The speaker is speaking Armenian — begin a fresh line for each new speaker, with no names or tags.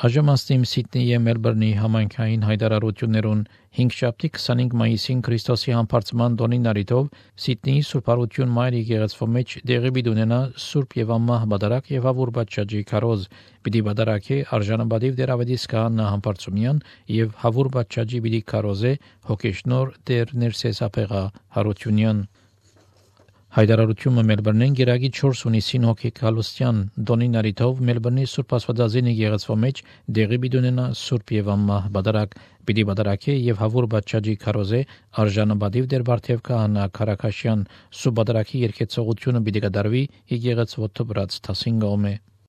Հաջամաստիմ Սիդնեի և Մելբուրնի համայնքային հայտարարություններուն 5 25 մայիսին Քրիստոսի համբարձման տոնին առիթով Սիդնեի Սուրբ Արություն Մայր եկեղեցու մեջ դեղի պիտի ունենա Սուրբ եւ Ամմահ բադարակ եւ հավուր բադճաջի քարոզ պիտի բադարակե արժանապատիվ Տերավետիս Քահանա Համբարձումյան եւ հավուր բադճաջի պիտի քարոզե հոգեշնոր Տեր Ներսեսապեղա Հարությունյան Հայտարարությունը Մելբուրնեն գերագի 4 հունիսին հոգի Գալուստյան Դոնին Արիթով Մելբուրնի Սուրբ Աստվածածին եկեղեցու մեջ դեղի պիտի ունենա Սուրբ եւ Ամմահ բադարակ պիտի բադարակե եւ հավուր բադճաջի քարոզե արժանապատիվ Տեր Վարդև Քահանա Քարակաշյան Սուրբ բադարակի երկեցողությունը պիտի կատարվի եկեղեցու վրաց 15 կողմե